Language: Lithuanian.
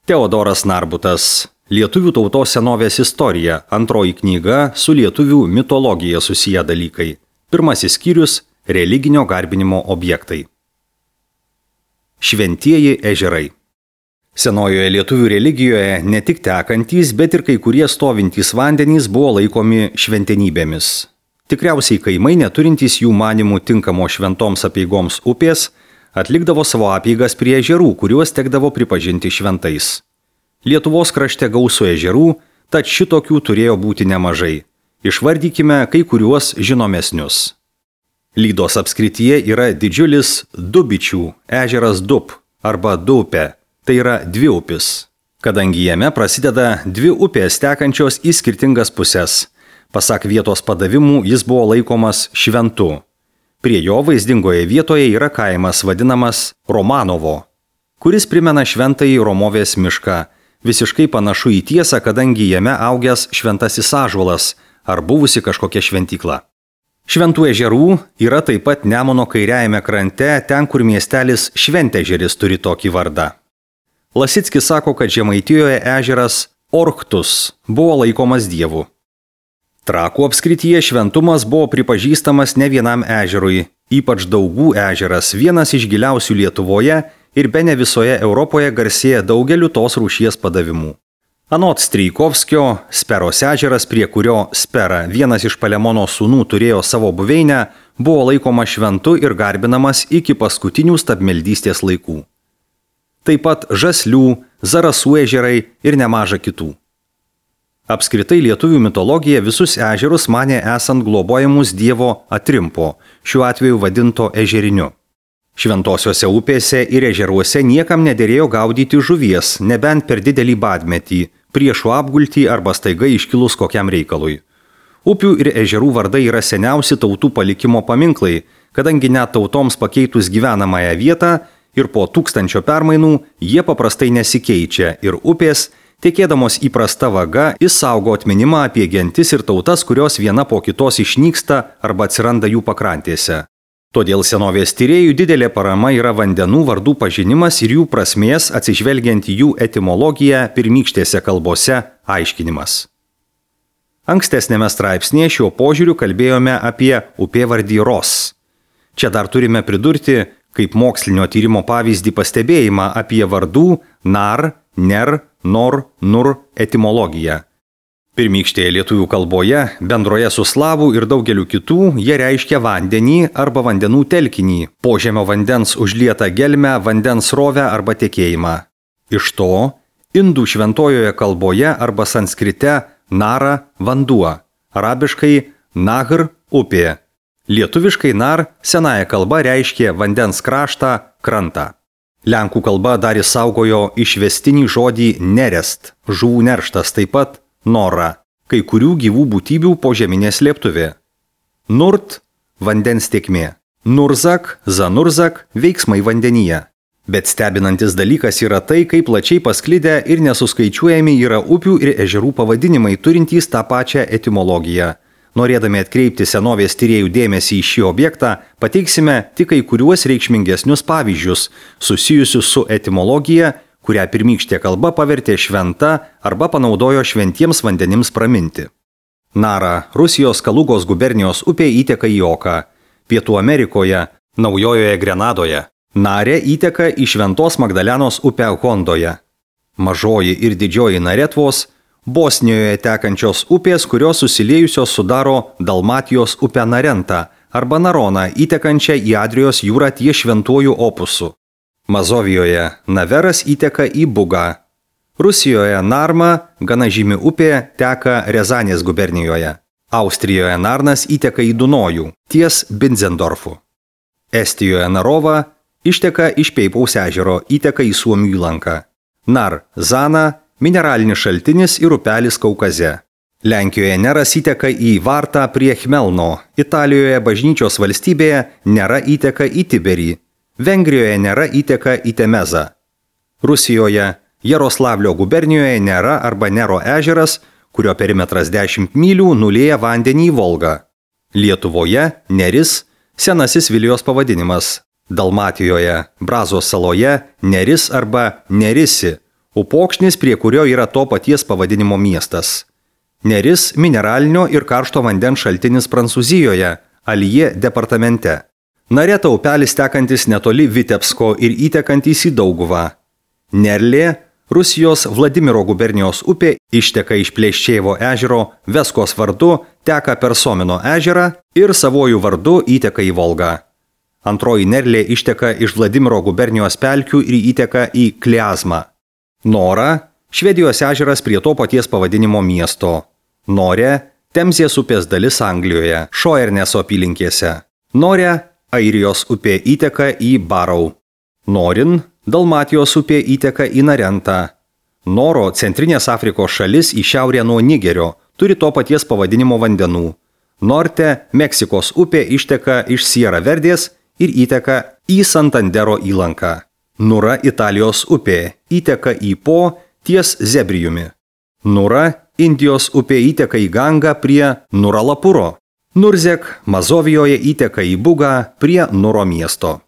Teodoras Narbutas. Lietuvių tautos senovės istorija. Antroji knyga su lietuvių mitologija susiję dalykai. Pirmasis skyrius – religinio garbinimo objektai. Šventieji ežerai. Senojoje lietuvių religijoje ne tik tekantys, bet ir kai kurie stovintys vandenys buvo laikomi šventenybėmis. Tikriausiai kaimai, neturintys jų manimų tinkamo šventoms apeigoms upės, atlikdavo savo apeigas prie ežerų, kuriuos tekdavo pripažinti šventais. Lietuvos krašte gausu ežerų, tad šitokių turėjo būti nemažai. Išvardykime kai kuriuos žinomesnius. Lydos apskrityje yra didžiulis Dubičių ežeras Dub arba Dupė, tai yra dviupis, kadangi jame prasideda dvi upės tekančios į skirtingas puses. Pasak vietos padavimų, jis buvo laikomas šventu. Prie jo vaizdingoje vietoje yra kaimas vadinamas Romanovo, kuris primena šventąjį Romovės mišką, visiškai panašu į tiesą, kadangi jame augęs šventasis ąžuolas ar buvusi kažkokia šventykla. Šventų ežerų yra taip pat Nemuno kairiajame krante, ten kur miestelis Šventežeris turi tokį vardą. Lasickis sako, kad Žemaitijoje ežeras Orktus buvo laikomas dievu. Trakų apskrityje šventumas buvo pripažįstamas ne vienam ežerui, ypač Daugų ežeras, vienas iš giliausių Lietuvoje ir bene visoje Europoje garsėja daugeliu tos rūšies padavimų. Anot Strijkovskio, Speros ežeras, prie kurio Spera, vienas iš Palemono sūnų, turėjo savo buveinę, buvo laikoma šventu ir garbinamas iki paskutinių stabmeldystės laikų. Taip pat Žaslių, Zarasų ežerai ir nemaža kitų. Apskritai lietuvių mitologija visus ežerus manė esant globojamus dievo Atrimpo, šiuo atveju vadinto ežeriniu. Šventosiuose upėse ir ežeruose niekam nederėjo gaudyti žuvies, nebent per didelį badmetį, priešų apgultį arba staiga iškilus kokiam reikalui. Upių ir ežerų vardai yra seniausi tautų palikimo paminklai, kadangi net tautoms pakeitus gyvenamąją vietą ir po 1000 permainų jie paprastai nesikeičia ir upės, tekėdamos įprasta vaga, išsaugo atminimą apie gentis ir tautas, kurios viena po kitos išnyksta arba atsiranda jų pakrantėse. Todėl senovės tyrėjų didelė parama yra vandenų vardų pažinimas ir jų prasmės atsižvelgiant į jų etimologiją pirmykštėse kalbose aiškinimas. Ankstesnėme straipsnėje šiuo požiūriu kalbėjome apie upėvardį Ros. Čia dar turime pridurti, kaip mokslinio tyrimo pavyzdį pastebėjimą apie vardų nar, ner, nor, nur etimologiją. Pirmykštėje lietuvių kalboje, bendroje su slavų ir daugeliu kitų, jie reiškia vandenį arba vandenų telkinį, požemio vandens užlietą gelmę, vandens srovę arba tekėjimą. Iš to, indų šventojoje kalboje arba sanskrite nara vanduo, arabiškai nahr upė. Lietuviškai nar senąją kalbą reiškia vandens kraštą, krantą. Lenkų kalba dar išsaugojo išvestinį žodį nerest, žuvų nerštas, taip pat nora, kai kurių gyvų būtybių požeminė slėptuvė. Nurt – vandens tėkmė. Nurzak, zanurzak – veiksmai vandenyje. Bet stebinantis dalykas yra tai, kaip plačiai pasklidę ir nesuskaičiuojami yra upių ir ežerų pavadinimai turintys tą pačią etimologiją. Norėdami atkreipti senovės tyrėjų dėmesį į šį objektą, pateiksime tik kai kuriuos reikšmingesnius pavyzdžius susijusius su etimologija, kurią pirmykštė kalba pavertė šventa arba panaudojo šventiems vandenims praminti. Nara, Rusijos Kalugos gubernijos upė įteka į Oką, Pietų Amerikoje, Naujojoje Grenadoje. Narė įteka į Šventos Magdalenos upę Hondoje. Mažoji ir didžioji Naretvos, Bosnijoje tekančios upės, kurios susiliejusios sudaro Dalmatijos upę Narentą arba Naroną, įtekančią į Adrijos jūrą ties Šventuoju Opusu. Mazovijoje Naveras įteka į Bugą. Rusijoje Narma, gana žymi upė, teka Rezanės gubernijoje. Austrijoje Narnas įteka į Dunojų, ties Binzendorfu. Estijoje Narova išteka iš Peipaus ežero, įteka į Suomių įlanką. Nar, Zana, mineralinis šaltinis ir upelis Kaukaze. Lenkijoje Neras įteka į Vartą prie Chmelno, Italijoje bažnyčios valstybėje Nera įteka į Tiberį, Vengrijoje Nera įteka į Temezą. Rusijoje Jaroslavlio gubernijoje Nera arba Nero ežeras, kurio perimetras 10 mylių, nulieja vandenį į Volgą. Lietuvoje Neris, senasis Vilijos pavadinimas. Dalmatijoje, Brazos saloje Neris arba Nerisi, Upokšnis, prie kurio yra to paties pavadinimo miestas. Neris mineralinio ir karšto vandens šaltinis Prancūzijoje, Aljė departamente. Nareta upelis tekantis netoli Vitebsko ir įtekantis į Dauguvą. Nerlė, Rusijos Vladimiro gubernijos upė, išteka iš Pleščėvo ežero Veskos vardu, teka per Somino ežerą ir savojų vardu įteka į Volgą. Antroji Nerlė išteka iš Vladimiro gubernijos pelkių ir įteka į Kliazmą. Nora, Švedijos ežeras prie to paties pavadinimo miesto. Norė, Temzės upės dalis Anglijoje, Šoerneso apylinkėse. Norė, Airijos upė įteka į Barau. Norin, Dalmatijos upė įteka į Narentą. Noro, Centrinės Afrikos šalis į šiaurę nuo Nigerio, turi to paties pavadinimo vandenų. Norte, Meksikos upė išteka iš Sierra Verdės ir įteka į Santandero įlanką. Nura, Italijos upė, įteka į Po ties Zebrijumi. Nura, Indijos upė įteka į Gangą prie Nuralapuro. Nurzek, Mazovijoje įteka į Bugą prie Nuro miesto.